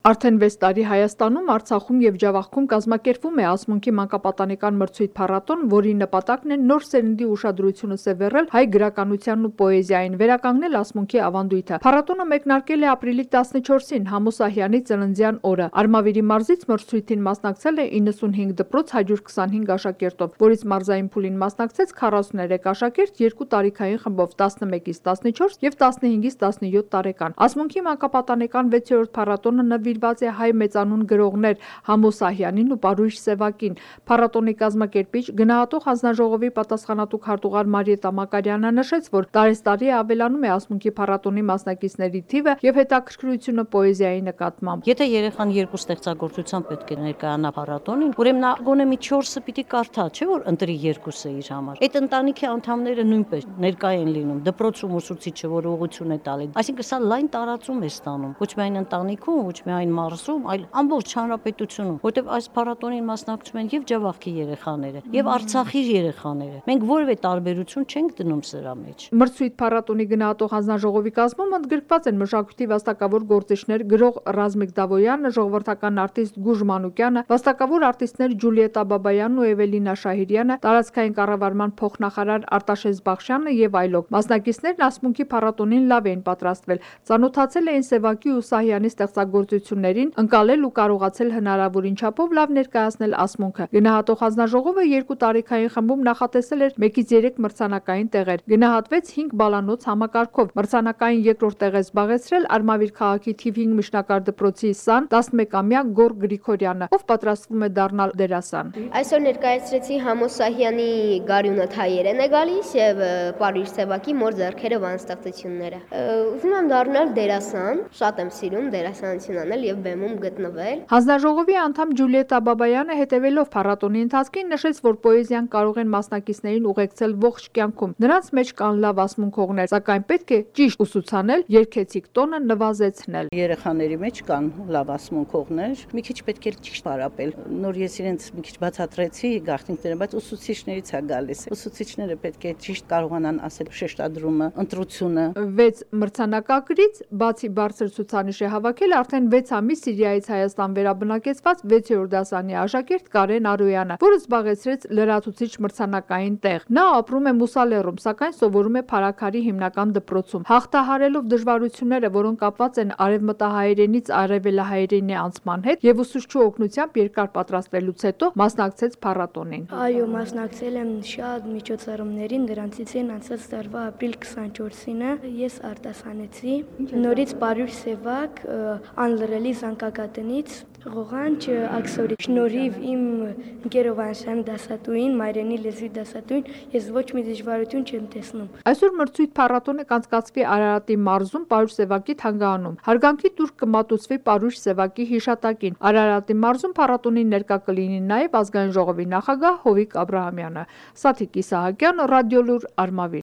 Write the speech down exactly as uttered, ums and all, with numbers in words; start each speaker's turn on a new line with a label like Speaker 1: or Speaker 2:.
Speaker 1: Արդեն վեց տարի Հայաստանում, Արցախում և Ջավախքում կազմակերպվում է ասմունքի մանկապատանեկան մրցույթ փառատոն, որի նպատակն է նոր սերնդի ուշադրությունը սևեռել հայ գրականությանն ու պոեզիային, վերականգնել ասմունքի ավանդույթը։ Փառատոնը մեկնարկել է ապրիլի տասնչորսին Համո Սահյանի ծննդյան օրը։ Արմավիրի մարզից մրցույթին մասնակցել է իննսունհինգ դպրոց հարյուր քսանհինգ աշակերտով, որից մարզային փուլին մասնակցեց քառասուներեք աշակերտ երկու տարիքային խմբով՝ տասնմեկից տասնչորս և տասնհինգից տասնյոթ տարեկան։ Ասմունքի մանկապատանեկան վեցերորդ փառատոնը նվիրված է հայ մեծանուն գրողներ Համո Սահյանին ու Պարույր Սևակին։ Փառատոնի կազմակերպիչ, գնահատող հանձնաժողովի պատասխանատու քարտուղար Մարիետտա Մակարյանը նշեց, որ տարեստարի ավելանում է ասմունքի փառատոնի մասնակիցների թիվը և հետաքրքրությունը պոեզիայի նկատմամբ։
Speaker 2: Եթե երեխան երկու ստեղծագործությամբ պետք է ներկայանա փառատոնին, ուրեմն նա գոնե մի չորսը պիտի կարդա, չէ՞ որ ընտրի երկուսը իր համար։ Այդ ընտանիքի անդամները նույնպես ներկա են լինում, դպրոցում ուսուցիչը, որ ուղղություն է տալի։ Այսինքն սա լայն տարածում է ստանում, ոչ միայն ընտանիքում, ոչ միայն մարզում, այլ ամբողջ հանրապետությունում, որտեղ այս փառատոնին մասնակցում են եւ Ջավախքի երեխաները, եւ Արցախի երեխաները։ Մենք որևէ տարբերություն չենք դնում սրա մեջ։
Speaker 1: Մրցույթ փառատոնի գնահատող հանձնաժողովի կազմում ընդգրկված են մշակույթի վաստակավոր գործիչներ գրող Ռազմիկ Դավոյանը, ժողովրդական արտիստ Գուժ Մանուկյանը, վաստակավոր արտիստներ Ջուլիետտա Բաբայանն ու Էվելինա Շահիրյանը, տարածքային կառավարման փոխնախարար Արտաշես Բախշյանը եւ այլոք։ Մասնակիցներն ասմունքի փառատոնին լավ էին պատրաստվել, ծանոթացել էին Սևակի ու Սահյանի ստեղծագործություններին, ընկալել ու կարողացել հնարավորին չափով լավ ներկայացնել ասմունքը։ Գնահատող հանձնաժողովը երկու տարիքային խմբում նախատեսել էր մեկից երեք մրցանակային տեղեր։ Գնահատվեց հինգ բալանոց համակարգով։ Մրցանակային երկրորդ տեղ է զբաղեցրել Արմավիր քաղաքի թիվ հինգ միջնակարգ դպրոցի սան տասնմեկամյա Գոռ Գրիգորյանը, ով պատրաստվում է դառնալ դերասան։
Speaker 3: Այսօր ներկայացրեցի Համո Սահյանի «Գարյունդ հայերեն է գալիս» եւ Պարույր Սևակի «Մոր ձեռքերը» բանաստեղծությունները։ Ուզում եմ դառնալ դերասան, շատ եմ սիրում դերասանություն անել եւ բեմում գտնվել։
Speaker 1: Հանձնաժողովի անդամ Ջուլիետտա Բաբայանը, հետևելով փառատոնի ընթացքին, նշեց, որ պոեզիան կարող են մասնակիցներին ուղեկցել ողջ կյանքում։ Նրանց մեջ կան լավ ասմունքողներ, սակայն պետք է ճիշտ ուսուցանել, երգեցիկ տոնը նվազեցնել։
Speaker 2: Երեխաների մեջ կան լավ ասմունքողներ, մի քիչ պետք է ճիշտ պարապել։ Նոր ես իրենց մի քիչ բացատրեցի գաղտնիքները, բայց ուսուցիչներից է գալիս։ Ուսուցիչները պետք է ճիշտ կարողանան ասել շեշտադրումը, ընտրությունը։
Speaker 1: Վեց մրցանակակրից բացի բարձր ցուցանիշ է հավաքել արդեն վեց ամիս Սիրիայից Հայաստան վերաբնակեցված վեցերորդ դասարանի աշակերտ Կարեն Արոյանը, որը զբաղեցրեց լրացուցիչ մրցանակային տեղ։ Նա ապրում է Մուսալեռում, սակայն սովորում է Փարաքարի հիմնական դպրոցում։ Հաղթահարելով դժվարությունները, որոնք կապված են արևմտահայերենից արևելահայերենի անցման հետ եւ ուսուցչու օգնությամբ երկար պատրաստվելուց հետո մասնակցեց փառատոնին։
Speaker 4: Այո, մասնակցել եմ շատ միջոցառումներին, դրանցից են անցած տարվա ապրիլ քսանչորսինը ես արտասանեցի նորից Պարույր Սևակ անլրելի զանգակատնից ղողանջ աքսորի շնորհիվ իմ ընկերով Անշան դասատուին, մայրենի լեզվի դասատուին, ես ոչ մի դժվարություն չեմ տեսնում։
Speaker 1: Այսօր մրցույթ փառատոնը կանցկացվի Արարատի մարզում Պարույր Սևակի թանգարանում։ Հարգանքի տուրք կմատուցվի Պարույր Սևակի հիշատակին։ Արարատի մարզում փառատոնին ներկա կլինի նաև ազգային ժողովի նախագահ Հովիկ Աբրահամյանը։ Սաթիկ Իսահակյան, Ռադիոլուր, Արմավիր։